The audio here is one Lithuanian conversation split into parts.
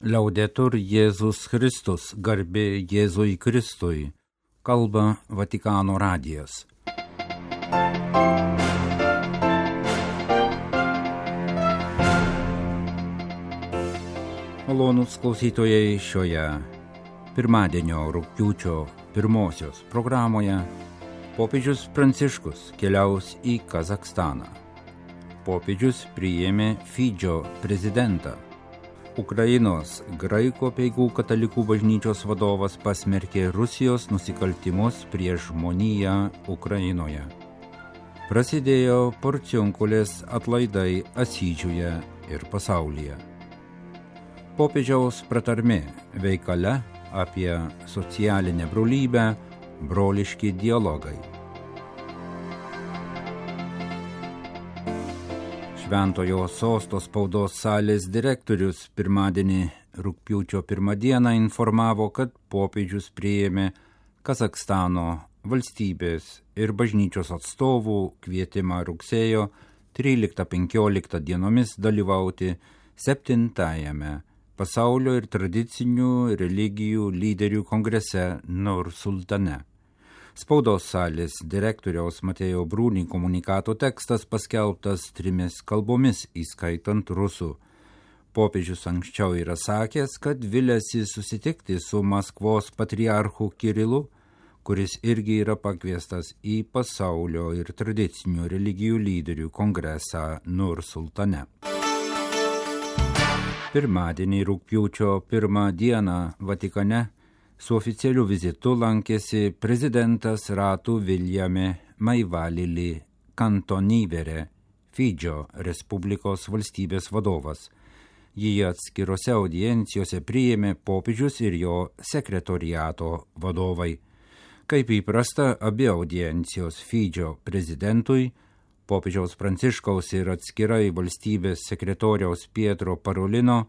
Laudetur Jėzus Kristus, garbė Jėzui Kristui, kalba Vatikano radijas. Malonūs klausytojai, šioje pirmadienio rugpjūčio pirmosios programoje popiežius Pranciškus keliaus į Kazachstaną. Popiežius priėmė Fidžio prezidentą. Ukrainos graikų apeigų katalikų bažnyčios vadovas pasmerkė Rusijos nusikaltimus prieš žmoniją Ukrainoje. Prasidėjo Porciunkulės atlaidai Asyžiuje ir pasaulyje. Popiežiaus pratarmė veikale apie socialinę brolybę, broliški dialogai. Šventojo Sosto spaudos salės direktorius pirmadienį rugpjūčio 1 dieną informavo, kad popiežius priėmė Kazachstano valstybės ir bažnyčios atstovų kvietimą rugsėjo 13-15 dienomis dalyvauti 7-ajame pasaulio ir tradicinių religijų lyderių kongrese Nur-Sultane. Spaudos salės direktoriaus Matėjo Brūni komunikato tekstas paskelbtas 3 kalbomis, įskaitant rusų. Popiežius anksčiau yra sakęs, kad viliasi susitikti su Maskvos patriarchu Kirilu, kuris irgi yra pakviestas į pasaulio ir tradicinių religijų lyderių kongresą Nur-Sultane. Pirmadienį rugpjūčio 1 dieną Vatikane su oficialiu vizitu lankėsi prezidentas Ratu Viljame Maivalili Kantonivere, Fidžio Respublikos valstybės vadovas. Jį atskirose audiencijose priėmė popiežius ir jo sekretoriato vadovai. Kaip įprasta, abi audiencijos Fidžio prezidentui, popiežiaus Pranciškaus ir atskirai valstybės sekretoriaus Pietro Parolino,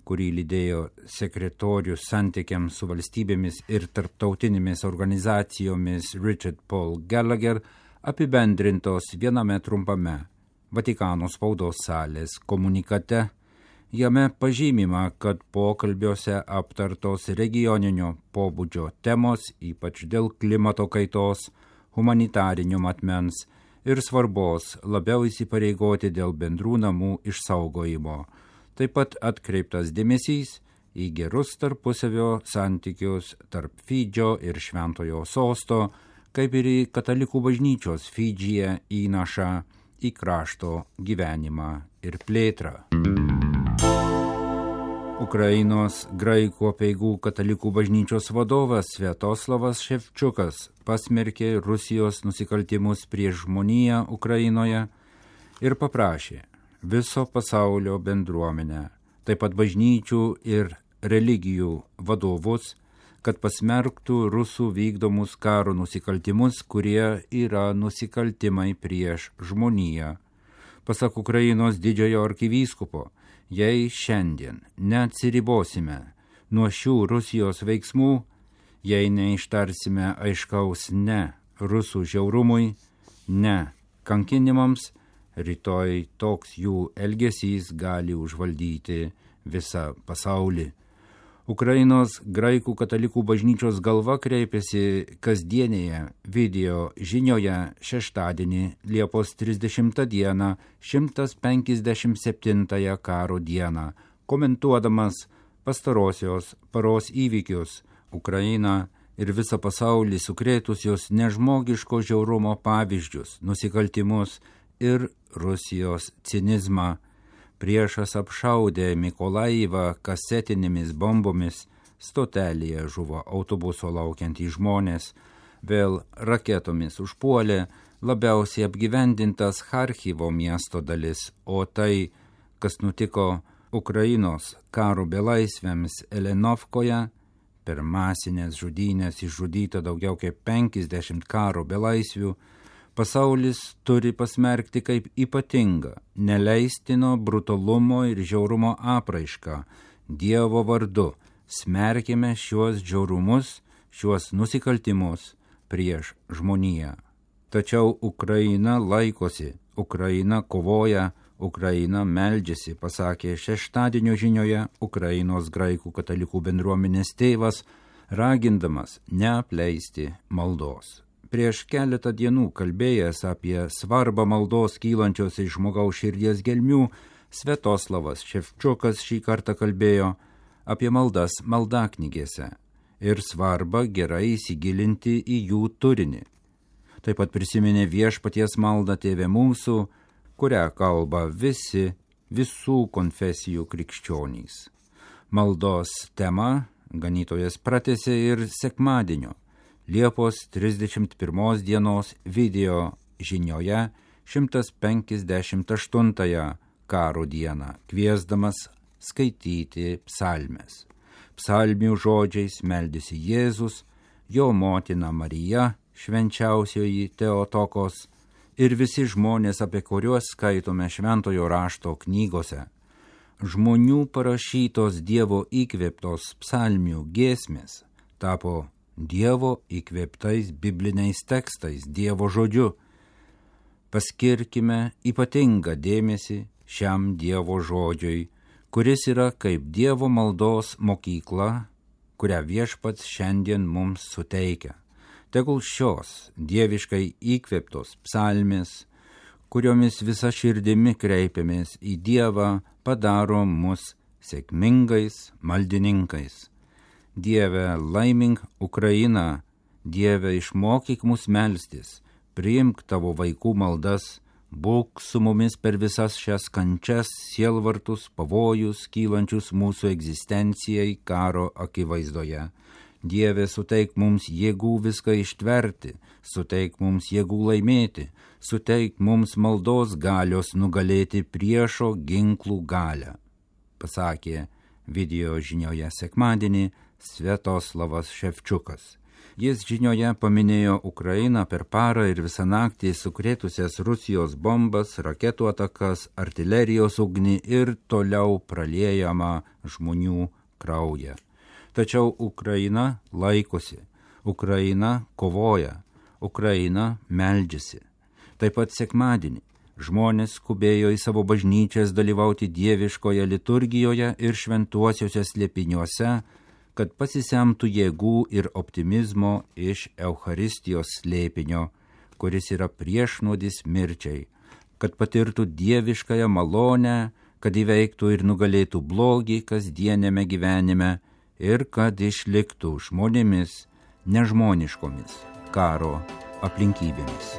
kurį lydėjo sekretorius santykiams su valstybėmis ir tarptautinėmis organizacijomis Richard Paul Gallagher, apibendrintos viename trumpame Vatikano spaudos salės komunikate. Jame pažymima, kad pokalbiuose aptartos regioninio pobūdžio temos, ypač dėl klimato kaitos, humanitarinio matmens ir svarbos labiau įsipareigoti dėl bendrų namų išsaugojimo. Taip pat atkreiptas dėmesys į gerus tarpusavio santykius tarp Fidžio ir Šventojo Sosto, kaip ir į katalikų bažnyčios Fidžyje įnašą į krašto gyvenimą ir plėtrą. Ukrainos graikų apeigų katalikų bažnyčios vadovas Sviatoslavas Ševčiukas pasmerkė Rusijos nusikaltimus prieš žmoniją Ukrainoje ir paprašė viso pasaulio bendruomenę, taip pat bažnyčių ir religijų vadovus, kad pasmerktų rusų vykdomus karo nusikaltimus, kurie yra nusikaltimai prieš žmoniją. Pasak Ukrainos didžiojo arkivyskupo, jei šiandien neatsiribosime nuo šių Rusijos veiksmų, jei neištarsime aiškaus ne rusų žiaurumui, ne kankinimams, rytoj toks jų elgesys gali užvaldyti visą pasaulį. Ukrainos graikų katalikų bažnyčios galva kreipėsi kasdienėje video žinioje šeštadienį Liepos 30 dieną 157 karo dieną, komentuodamas pastarosios paros įvykius Ukrainą ir visą pasaulį sukrėtusios nežmogiško žiaurumo pavyzdžius, nusikaltimus ir Rusijos cinizmą. Priešas apšaudė Mikolaivą kasetinėmis bombomis, stotelėje žuvo autobuso laukiantys žmonės, vėl raketomis užpuolė labiausiai apgyvendintas Charkivo miesto dalis, o tai, kas nutiko Ukrainos karo belaisviams Elenovkoje, per masinės žudynės išžudyta daugiau kaip 50 karo belaisvių, pasaulis turi pasmerkti kaip ypatingą, neleistino brutalumo ir žiaurumo apraišką. Dievo vardu smerkime šiuos žiaurumus, šiuos nusikaltimus prieš žmoniją. Tačiau Ukraina laikosi, Ukraina kovoja, Ukraina meldžiasi, pasakė šeštadienio žinioje Ukrainos graikų katalikų bendruomenės tėvas, ragindamas neapleisti maldos. Prieš keletą dienų kalbėjęs apie svarbą maldos kylančios iš žmogaus širdies gelmių, Sviatoslavas Ševčiukas šį kartą kalbėjo apie maldas maldaknygėse ir svarbą gerai įsigilinti į jų turinį. Taip pat prisiminė Viešpaties maldą Tėve mūsų, kurią kalba visų konfesijų krikščionys. Maldos tema ganytojas pratęsė ir sekmadienio, Liepos 31 dienos video žinioje 158 karo dieną, kviesdamas skaityti psalmes. Psalmių žodžiais meldėsi Jėzus, jo motina Marija, švenčiausioji Teotokos ir visi žmonės, apie kuriuos skaitome šventojo rašto knygose. Žmonių parašytos Dievo įkvėptos psalmių giesmės tapo Dievo įkvėptais bibliniais tekstais, Dievo žodžiu. Paskirkime ypatingą dėmesį šiam Dievo žodžiui, kuris yra kaip Dievo maldos mokykla, kurią Viešpats šiandien mums suteikia. Tegul šios dieviškai įkvėptos psalmės, kuriomis visa širdimi kreipiamės į Dievą, padaro mus sėkmingais maldininkais. Dieve, laimink Ukrainą, Dieve, išmokyk mus melstis, priimk tavo vaikų maldas, būk su mumis per visas šias kančias, sielvartus, pavojus, kylančius mūsų egzistencijai karo akivaizdoje. Dieve, suteik mums jėgų viską ištverti, suteik mums jėgų laimėti, suteik mums maldos galios nugalėti priešo ginklų galią, pasakė video žinioje sekmadienį Sviatoslavas Ševčiukas. Jis žinioje paminėjo Ukrainą per parą ir visą naktį sukrėtusias Rusijos bombas, raketų atakas, artilerijos ugnį ir toliau praliejamą žmonių kraują. Tačiau Ukraina laikosi, Ukraina kovoja, Ukraina meldžiasi. Taip pat sekmadienį žmonės skubėjo į savo bažnyčias dalyvauti dieviškoje liturgijoje ir šventuosiuose slėpiniuose, kad pasisemtų jėgų ir optimizmo iš Eucharistijos slėpinio, kuris yra priešnuodis mirčiai, kad patirtų dieviškąją malonę, kad įveiktų ir nugalėtų blogį kasdienėme gyvenime ir kad išliktų žmonėmis nežmoniškomis karo aplinkybėmis.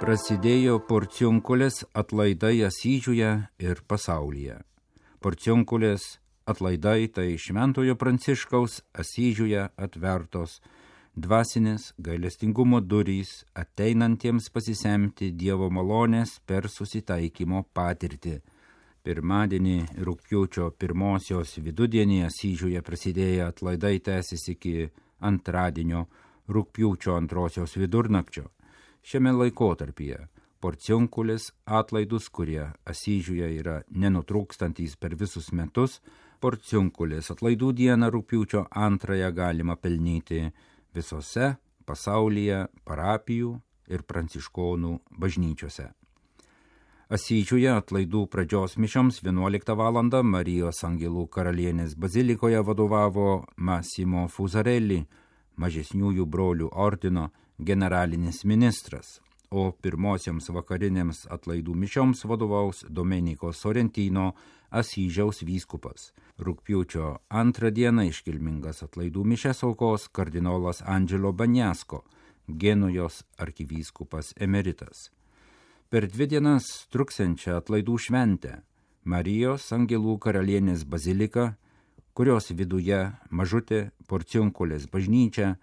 Prasidėjo Porciunkulės atlaidai Asyžiuje ir pasaulyje. Porciunkulės atlaidai tai Šventojo Pranciškaus Asyžiuje atvertos dvasinės gailestingumo durys ateinantiems pasisemti Dievo malonės per susitaikymo patirtį. Pirmadienį rugpjūčio 1 vidudienį Asyžiuje prasidėję atlaidai tęsis iki antradienio rugpjūčio 2 vidurnakčio. Šiame laikotarpyje Porciunkulės atlaidus, kurie Asyžiuje yra nenutrūkstantys per visus metus, Porciunkulės atlaidų dieną rugpjūčio 2 galima pelnyti visose pasaulyje parapijų ir pranciškonų bažnyčiose. Asyžiuje atlaidų pradžios mišioms 11 val. Marijos Angelų karalienės bazilikoje vadovavo Massimo Fusarelli, mažesniųjų brolių ordino generalinis ministras, o pirmosioms vakarinėms atlaidų mišioms vadovaus Domenico Sorrentino, Asyžiaus vyskupas. Rugpjūčio 2 dieną iškilmingas atlaidų mišes aukos kardinolas Angelo Bagnasko, Genujos arkivyskupas emeritas. Per 2 dienas truksiančią atlaidų šventę Marijos Angelų karalienės bazilika, kurios viduje mažutė Porciunkulės bažnyčia,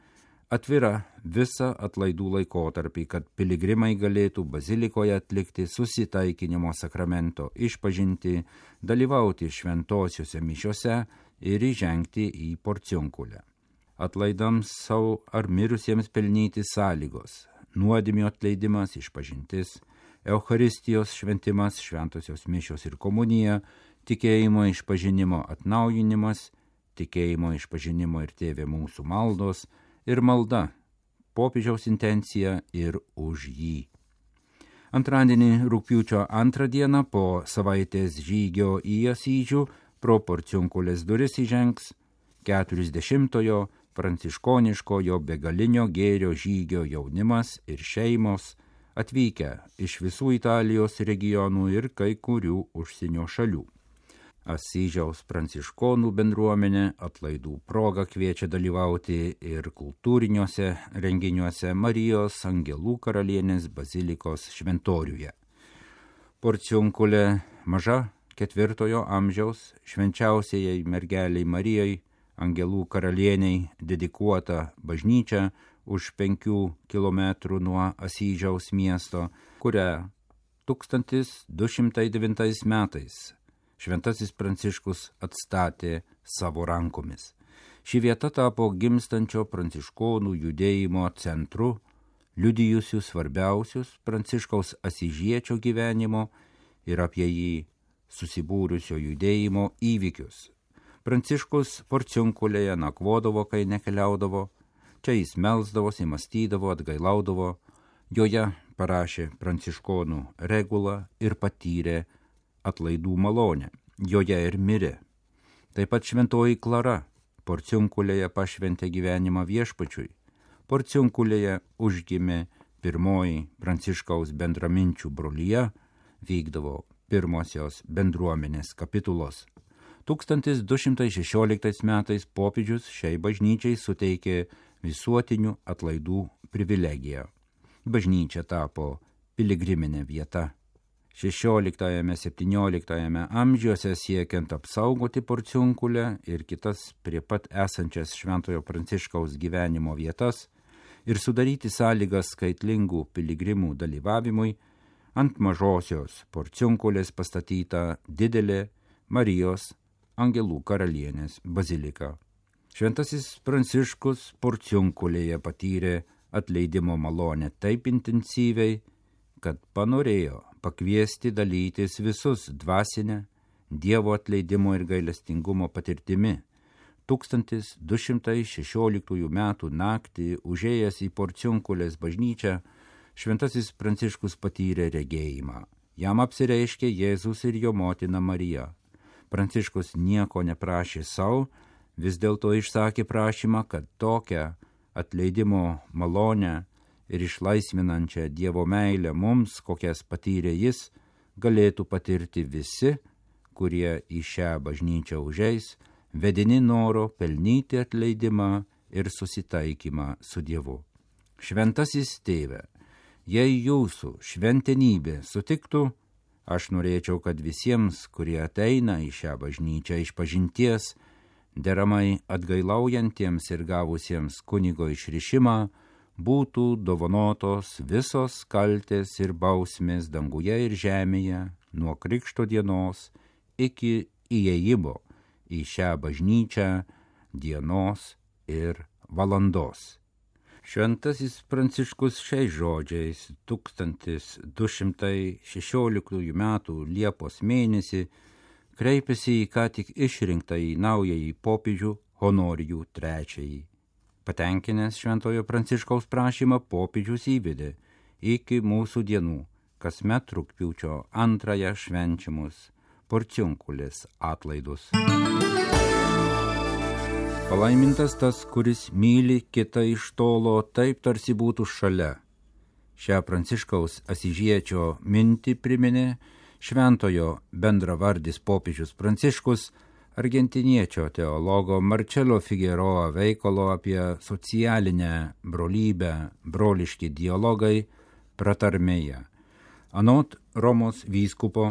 atvira visą atlaidų laikotarpį, kad piligrimai galėtų bazilikoje atlikti susitaikinimo sakramento išpažinti, dalyvauti šventosiuose mišiose ir įžengti į Porciunkulę. Atlaidams savo ar mirusiems pelnyti sąlygos: nuodėmių atleidimas, išpažintis, Eucharistijos šventimas, šventosios mišios ir komunija, tikėjimo išpažinimo atnaujinimas, tikėjimo išpažinimo ir Tėve mūsų maldos, ir malda popiežiaus intenciją ir už jį. Antradienį rugpjūčio 2 dieną po savaitės žygio į Asyžių pro Porciunkulės duris įžengs 40-ojo pranciškoniškojo begalinio gėrio žygio jaunimas ir šeimos atvykę iš visų Italijos regionų ir kai kurių užsienio šalių. Asyžiaus pranciškonų bendruomenė atlaidų proga kviečia dalyvauti ir kultūriniuose renginiuose Marijos Angelų karalienės bazilikos šventoriuje. Porciunkulė maža 4 amžiaus švenčiausiai mergeliai Marijai Angelų karalieniai dedikuota bažnyčia už 5 kilometrų nuo Asyžiaus miesto, kurią 1209 metais Šventasis Pranciškus atstatė savo rankomis. Ši vieta tapo gimstančio pranciškonų judėjimo centru, liudijusių svarbiausius Pranciškaus asyžiečio gyvenimo ir apie jį susibūrusio judėjimo įvykius. Pranciškus Porciunkulėje nakvodavo, kai nekeliaudavo, čia jis melsdavosi, mąstydavo, atgailaudavo, joje parašė pranciškonų regulą ir patyrė atlaidų malonę, joje ir mirė. Taip pat šventoji Klara Porciunkulėje pašventė gyvenimą Viešpačiui. Porciunkulėje užgimė pirmoji Pranciškaus bendraminčių brolija, vykdavo pirmosios bendruomenės kapitulos. 1216 metais popiežius šiai bažnyčiai suteikė visuotinių atlaidų privilegiją. Bažnyčia tapo piligriminė vieta. 16–17 amžiuose siekiant apsaugoti Porciunkulę ir kitas prie pat esančias Šventojo Pranciškaus gyvenimo vietas ir sudaryti sąlygas skaitlingų piligrimų dalyvavimui, ant mažosios Porciunkulės pastatyta didelė Marijos Angelų karalienės bazilika. Šventasis Pranciškus Porciunkulėje patyrė atleidimo malonę taip intensyviai, kad panorėjo pakviesti dalytis visus dvasinę Dievo atleidimo ir gailestingumo patirtimi. 1216 metų naktį užėjęs į Porciunkulės bažnyčią, Šventasis Pranciškus patyrė regėjimą. Jam apsireiškė Jėzus ir jo motina Marija. Pranciškus nieko neprašė savo, vis dėlto išsakė prašymą, kad tokią atleidimo malonę ir išlaisvinančią Dievo meilę mums, kokias patyrė jis, galėtų patirti visi, kurie į šią bažnyčią užeis, vedini noro pelnyti atleidimą ir susitaikymą su Dievu. Šventasis tėve, jei jūsų šventenybė sutiktų, aš norėčiau, kad visiems, kurie ateina į šią bažnyčią išpažinties, deramai atgailaujantiems ir gavusiems kunigo išrišimą, būtų dovanotos visos kaltės ir bausmės danguje ir žemėje nuo krikšto dienos iki įėjimo į šią bažnyčią dienos ir valandos. Šventasis Pranciškus šiais žodžiais 1216 metų Liepos mėnesį kreipėsi į ką tik išrinktąjį naująjį popiežių Honorijų III. Patenkinęs Šventojo Pranciškaus prašymą, popiežius įvedė iki mūsų dienų kasmet rugpjūčio 2 švenčiamus Porciunkulės atlaidus. Palaimintas tas, kuris myli kitą iš tolo, taip tarsi būtų šalia. Šią Pranciškaus asyžiečio mintį priminė šventojo bendravardis popiežius Pranciškus argentiniečio teologo Marcelo Figueroa veikalo apie socialinę brolybę broliški dialogai pratarmėje. Anot Romos vyskupo,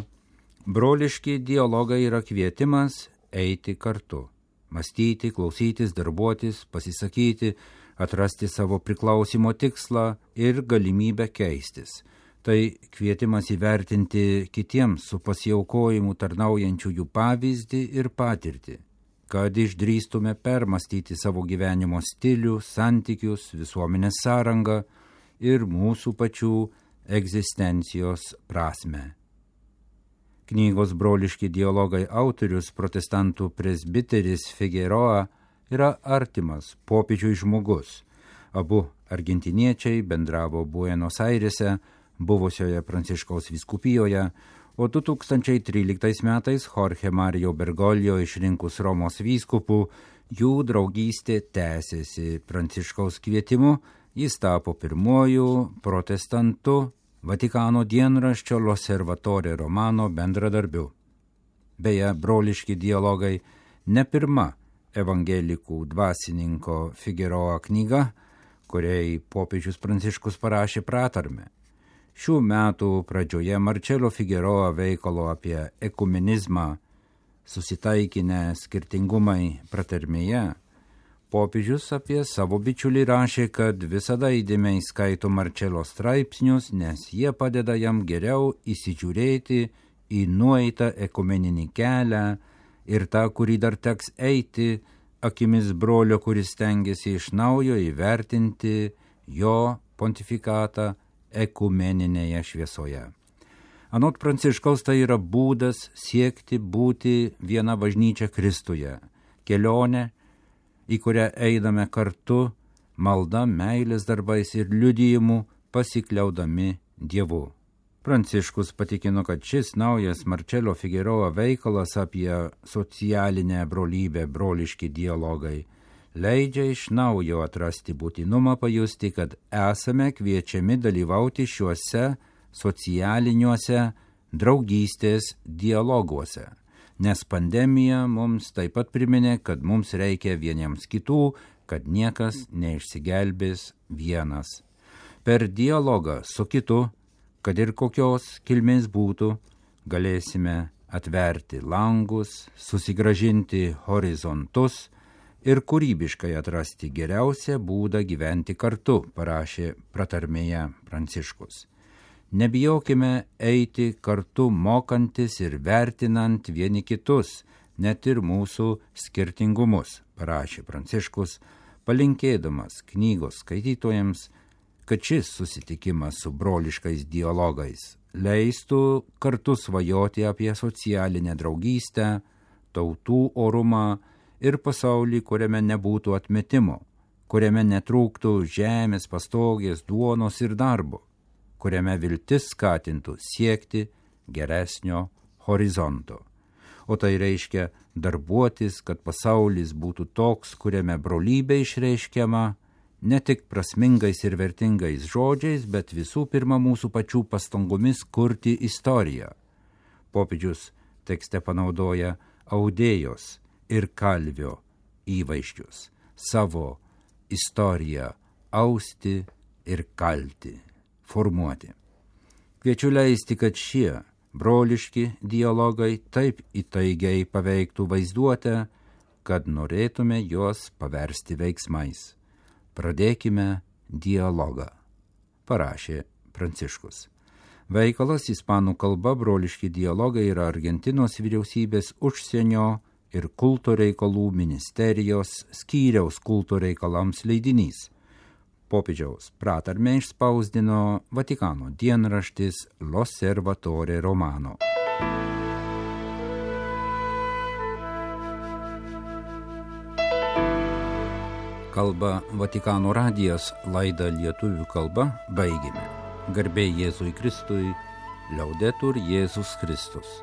broliški dialogai yra kvietimas eiti kartu, mąstyti, klausytis, darbuotis, pasisakyti, atrasti savo priklausimo tikslą ir galimybę keistis. Tai kvietimas įvertinti kitiems su pasiaukojimu tarnaujančiųjų pavyzdį ir patirtį, kad išdrįstume permastyti savo gyvenimo stilių, santykius, visuomenės sąrangą ir mūsų pačių egzistencijos prasmę. Knygos broliški dialogai autorius, protestantų presbiteris Figueroa, yra artimas popiežiui žmogus. Abu Argentiniečiai bendravo Buenos Airėse, buvusioje Pranciškaus vyskupijoje, o 2013 metais Jorge Mario Bergoglio išrinkus Romos vyskupu, jų draugystė tęsėsi. Pranciškaus kvietimu jis tapo pirmuoju protestantu Vatikano dienraščio L'Osservatore Romano bendradarbiu. Beje, broliški dialogai ne pirma evangelikų dvasininko Figueroa knyga, kuriai popiežius Pranciškus parašė pratarmę. Šių metų pradžioje Marcello Figueroa veikalo apie ekumenizmą susitaikinę skirtingumai pratarmėje, popiežius apie savo bičiulį rašė, kad visada įdėmiai skaito Marcello straipsnius, nes jie padeda jam geriau įsižiūrėti į nueitą ekumeninį kelią ir tą, kurį dar teks eiti, akimis brolio, kuris stengiasi iš naujo įvertinti jo pontifikatą ekumeninėje šviesoje. Anot Pranciškaus tai yra būdas siekti būti viena bažnyčia Kristuje, kelionė, į kurią eidame kartu, malda, meilės darbais ir liudijimu pasikliaudami Dievu. Pranciškus patikino, kad šis naujas Marcello Figueroa veikalas apie socialinę brolybę, broliški dialogai, leidžia iš naujo atrasti būtinumą pajusti, kad esame kviečiami dalyvauti šiuose socialiniuose draugystės dialoguose. Nes pandemija mums taip pat priminė, kad mums reikia vieniems kitų, kad niekas neišsigelbės vienas. Per dialogą su kitu, kad ir kokios kilmės būtų, galėsime atverti langus, susigrąžinti horizontus ir kūrybiškai atrasti geriausią būdą gyventi kartu, parašė pratarmėje Pranciškus. Nebijokime eiti kartu mokantis ir vertinant vieni kitus, net ir mūsų skirtingumus, parašė Pranciškus, palinkėdamas knygos skaitytojams, kad šis susitikimas su broliškais dialogais leistų kartu svajoti apie socialinę draugystę, tautų orumą ir pasaulį, kuriame nebūtų atmetimo, kuriame netrūktų žemės, pastogės, duonos ir darbo, kuriame viltis skatintų siekti geresnio horizonto. O tai reiškia darbuotis, kad pasaulis būtų toks, kuriame brolybė išreiškiama ne tik prasmingais ir vertingais žodžiais, bet visų pirma mūsų pačių pastangomis kurti istoriją. Popiežius tekste panaudoja audėjos ir kalvio įvaizdžius, savo istoriją austi ir kalti, formuoti. Kviečiu leisti, kad šie broliški dialogai taip įtaigiai paveiktų vaizduotę, kad norėtume juos paversti veiksmais. Pradėkime dialogą, parašė Pranciškus. Veikalas ispanų kalba broliški dialogai yra Argentinos vyriausybės užsienio ir kulto reikalų ministerijos skyriaus kulto reikalams leidinys. Popiežiaus pratarmę išspausdino Vatikano dienraštis L'Osservatore Romano. Kalba Vatikano radijas, laidą lietuvių kalba baigėme. Garbė Jėzui Kristui, Liaudetur Jėzus Kristus.